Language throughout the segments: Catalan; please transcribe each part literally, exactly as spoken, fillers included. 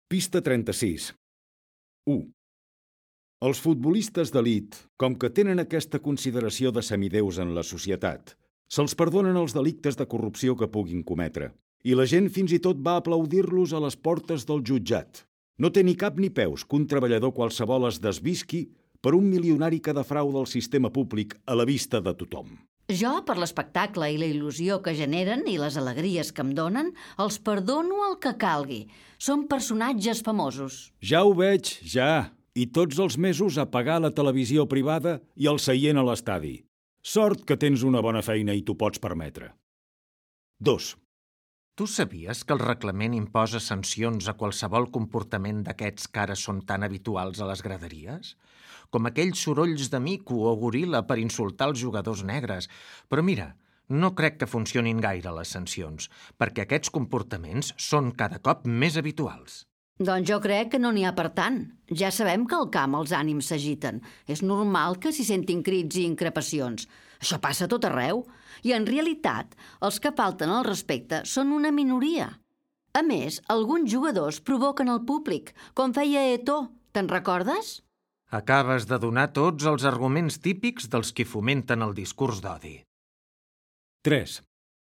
Pista trenta-sis. u. Els futbolistes d'elit, com que tenen aquesta consideració de semideus en la societat, se'ls perdonen els delictes de corrupció que puguin cometre, i la gent fins i tot va aplaudir-los a les portes del jutjat. No té ni cap ni peus que un treballador qualsevol es desvisqui per un milionari que defrauda el sistema públic a la vista de tothom. Jo, per l'espectacle i la il·lusió que generen i les alegries que em donen, els perdono el que calgui. Són personatges famosos. Ja ho veig, ja. I tots els mesos a pagar la televisió privada i el seient a l'estadi. Sort que tens una bona feina i t'ho pots permetre. dos. Tu sabies que el reglament imposa sancions a qualsevol comportament d'aquests que ara són tan habituals a les graderies? Com aquells sorolls de mico o goril·la per insultar els jugadors negres. Però mira, no crec que funcionin gaire les sancions, perquè aquests comportaments són cada cop més habituals. Doncs jo crec que no n'hi ha per tant. Ja sabem que al camp els ànims s'agiten. És normal que s'hi sentin crits i increpacions. Això passa a tot arreu. I en realitat, els que falten al respecte són una minoria. A més, alguns jugadors provoquen el públic, com feia Eto'o. Te'n recordes? Acabes de donar tots els arguments típics dels qui fomenten el discurs d'odi. tres.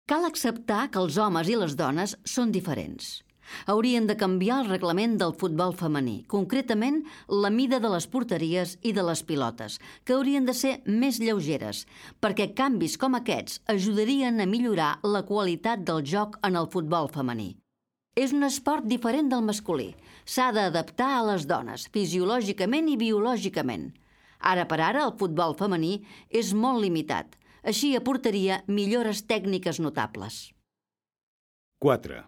Cal acceptar que els homes i les dones són diferents. Haurien de canviar el reglament del futbol femení, concretament la mida de les porteries i de les pilotes, que haurien de ser més lleugeres, perquè canvis com aquests ajudarien a millorar la qualitat del joc en el futbol femení. És un esport diferent del masculí. S'ha d'adaptar a les dones, fisiològicament i biològicament. Ara per ara, el futbol femení és molt limitat. Així aportaria millores tècniques notables. quatre.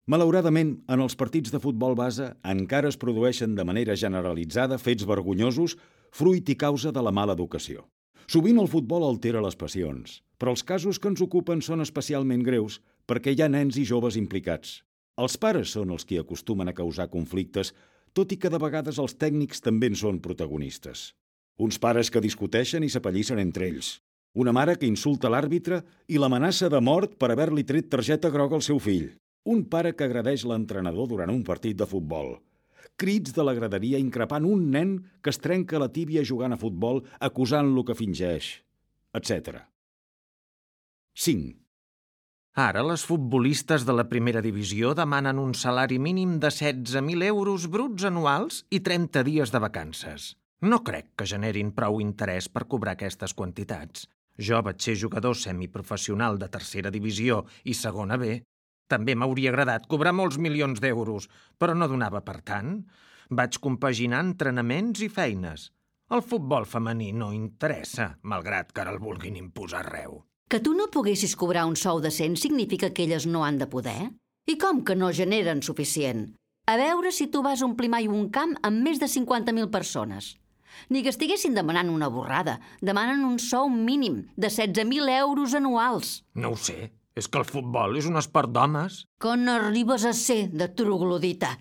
Malauradament, en els partits de futbol base encara es produeixen de manera generalitzada fets vergonyosos, fruit i causa de la mala educació. Sovint el futbol altera les passions, però els casos que ens ocupen són especialment greus perquè hi ha nens i joves implicats. Els pares són els qui acostumen a causar conflictes, tot i que de vegades els tècnics també en són protagonistes. Uns pares que discuteixen i s'apallissen entre ells. Una mare que insulta l'àrbitre i l'amenaça de mort per haver-li tret targeta groga al seu fill. Un pare que agredeix l'entrenador durant un partit de futbol. Crits de la graderia increpant un nen que es trenca la tíbia jugant a futbol acusant-lo que fingeix, etcètera. cinc. Ara les futbolistes de la primera divisió demanen un salari mínim de setze mil euros bruts anuals i trenta dies de vacances. No crec que generin prou interès per cobrar aquestes quantitats. Jo vaig ser jugador semiprofessional de tercera divisió i segona B. També m'hauria agradat cobrar molts milions d'euros, però no donava per tant. Vaig compaginar entrenaments i feines. El futbol femení no interessa, malgrat que ara el vulguin imposar arreu. Que tu no poguessis cobrar un sou decent significa que elles no han de poder? I com que no generen suficient? A veure si tu vas omplir mai un camp amb més de cinquanta mil persones. Ni que estiguessin demanant una borrada. Demanen un sou mínim de setze mil euros anuals. No ho sé. És que el futbol és un esport d'homes. Que n'arribes a ser de troglodita.